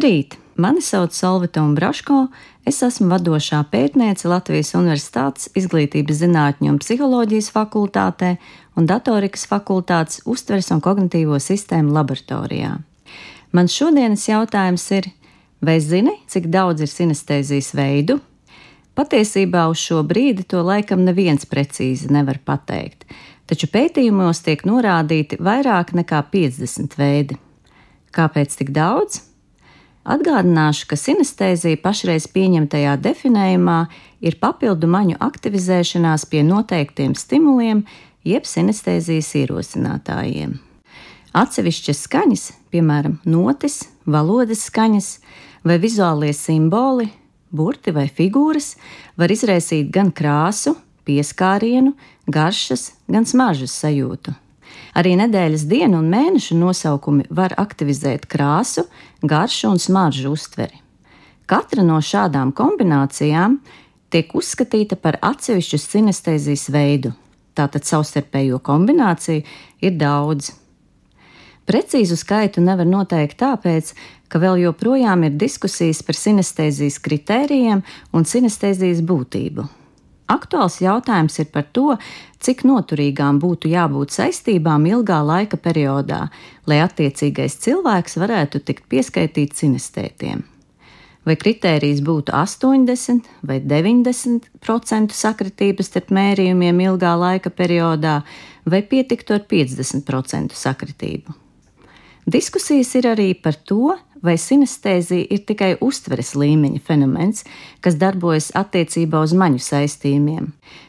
Labrīt! Mani sauc Solvita Umbraško, es esmu vadošā pētniece Latvijas Universitātes Izglītības zinātņu un psiholoģijas fakultātē un datorikas fakultātes uztveres un kognitīvo sistēmu laboratorijā. Mans šodienas jautājums ir, vai zini, cik daudz ir sinestēzijas veidu? Patiesībā uz šo brīdi to laikam neviens precīzi nevar pateikt, taču pētījumos tiek norādīti vairāk nekā 50 veidi. Kāpēc tik daudz? Atgādināšu, ka sinestēzija pašreiz pieņemtajā definējumā ir papildu maņu aktivizēšanās pie noteiktiem stimuliem, jeb sinestēzijas ierosinātājiem. Atsevišķas skaņas, piemēram, notis, valodas skaņas vai vizuālie simboli, burti vai figūras, var izraisīt gan krāsu, pieskārienu, garšas, gan smaržas sajūtu. Arī nedēļas dienu un mēnešu nosaukumi var aktivizēt krāsu, garšu un smaržu uztveri. Katra no šādām kombinācijām tiek uzskatīta par atsevišķu sinestēzijas veidu, tātad savstarpējo kombināciju ir daudz. Precīzu skaitu nevar noteikt tāpēc, ka vēl joprojām ir diskusijas par sinestēzijas kritērijiem un sinestēzijas būtību. Aktuāls jautājums ir par to, cik noturīgām būtu jābūt saistībām ilgā laika periodā, lai attiecīgais cilvēks varētu tikt pieskaitīts sinestētiem. Vai kritērijs būtu 80 vai 90% sakritības starp mērījumiem ilgā laika periodā, vai pietiktu ar 50% sakritību. Diskusijas ir arī par to, vai sinestēzija ir tikai uztveres līmeņa fenomens, kas darbojas attiecībā uz maņu saistījumiem,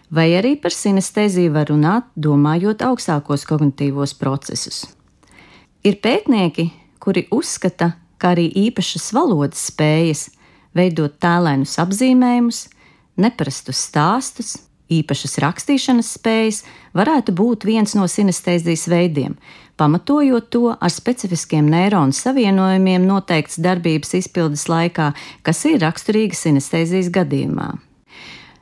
vai arī par sinestēziju var runāt, domājot augstākos kognitīvos procesus. Ir pētnieki, kuri uzskata, ka arī īpašas valodas spējas veidot tēlainus apzīmējumus, neparastus stāstus, īpašas rakstīšanas spējas varētu būt viens no sinestēzijas veidiem, pamatojot to ar specifiskiem neironu savienojumiem noteikts darbības izpildes laikā, kas ir raksturīga sinestēzijas gadījumā.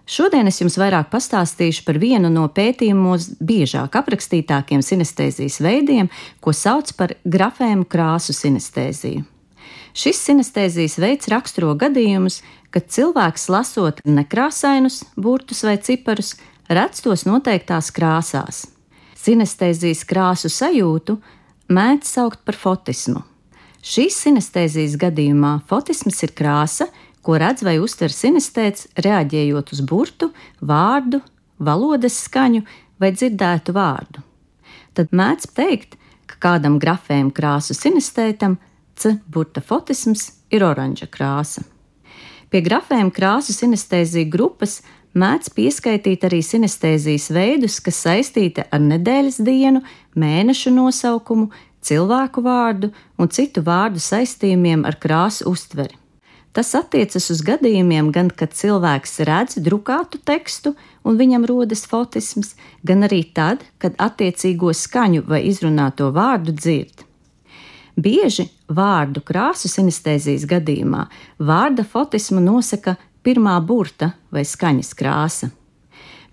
Šodien es jums vairāk pastāstīšu par vienu no pētījumos biežāk aprakstītākiem sinestēzijas veidiem, ko sauc par grafēmu krāsu sinestēziju. Šis sinestēzijas veids raksturo gadījumus, kad cilvēks lasot nekrāsainus burtus vai ciparus, redz tos noteiktās krāsās. Sinestēzijas krāsu sajūtu mēdz saukt par fotismu. Šīs sinestēzijas gadījumā fotisms ir krāsa, ko redz vai uztver sinestēts, reaģējot uz burtu, vārdu, valodas skaņu vai dzirdētu vārdu. Tad mēdz teikt, ka kādam grafēm krāsu sinestētam burta fotisms ir oranža krāsa. Pie grafēm krāsu sinestēziju grupas mēdz pieskaitīt arī sinestēzijas veidus, kas saistīti ar nedēļas dienu, mēnešu nosaukumu, cilvēku vārdu un citu vārdu saistījumiem ar krāsu uztveri. Tas attiecas uz gadījumiem gan, kad cilvēks redz drukātu tekstu un viņam rodas fotisms, gan arī tad, kad attiecīgo skaņu vai izrunāto vārdu dzird. Bieži vārdu krāsu sinestēzijas gadījumā vārda fotismu nosaka pirmā burta vai skaņas krāsa.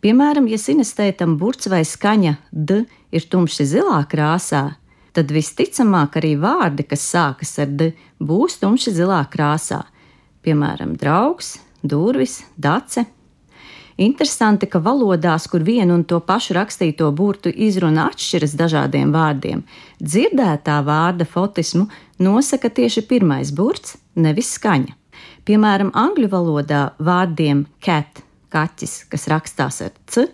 Piemēram, ja sinestētam burts vai skaņa d ir tumši zilā krāsā, tad visticamāk arī vārdi, kas sākas ar d, būs tumši zilā krāsā. Piemēram, draugs, durvis, dace. Interesanti, ka valodās, kur vienu un to pašu rakstīto burtu izruna atšķiras dažādiem vārdiem, dzirdētā vārda fotismu nosaka tieši pirmais burts, nevis skaņa. Piemēram, angļu valodā vārdiem cat, kaķis, kas rakstās ar c,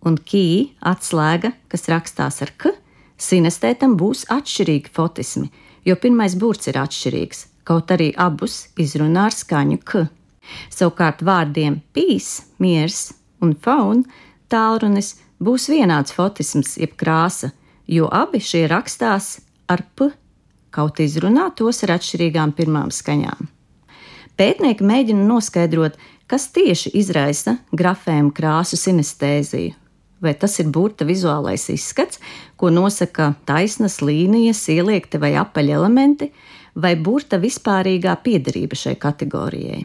un key, atslēga, kas rakstās ar k, sinestētam būs atšķirīgi fotismi, jo pirmais burts ir atšķirīgs, kaut arī abus izrunā ar skaņu k. Savukārt vārdiem peace, miers un phone, tālrunis, būs vienāds fotisms jeb krāsa, jo abi šie rakstās ar p, kaut izrunā tos ar atšķirīgām pirmām skaņām. Pētnieki mēģina noskaidrot, kas tieši izraisa grafēmu krāsu sinestēziju. Vai tas ir burta vizuālais izskats, ko nosaka taisnas līnijas, ieliekti vai apaļi elementi, vai burta vispārīgā piederība šai kategorijai.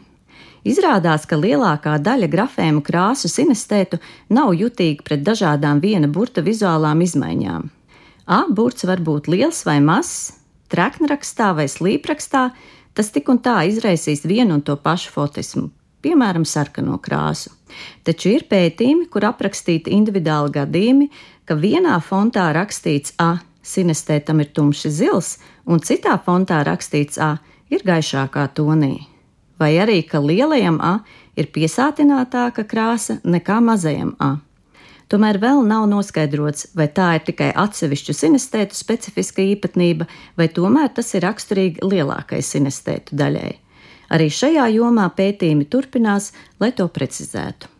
Izrādās, ka lielākā daļa grafēmu krāsu sinestētu nav jutīga pret dažādām viena burta vizuālām izmaiņām. A burts var būt liels vai mazs, treknrakstā vai slīprakstā, Tas tik un tā izraisīs vienu un to pašu fotismu, piemēram, sarkano krāsu. Taču ir pētījumi, kur aprakstīti individuāli gadījumi, ka vienā fontā rakstīts A, sinestētam ir tumši zils, un citā fontā rakstīts A ir gaišākā tonī. Vai arī, ka lielajam A ir piesātinātāka krāsa nekā mazajam A. Tomēr vēl nav noskaidrots, vai tā ir tikai atsevišķu sinestētu specifiska īpatnība, vai tomēr tas ir raksturīgi lielākai sinestētu daļai. Arī šajā jomā pētījumi turpinās, lai to precizētu.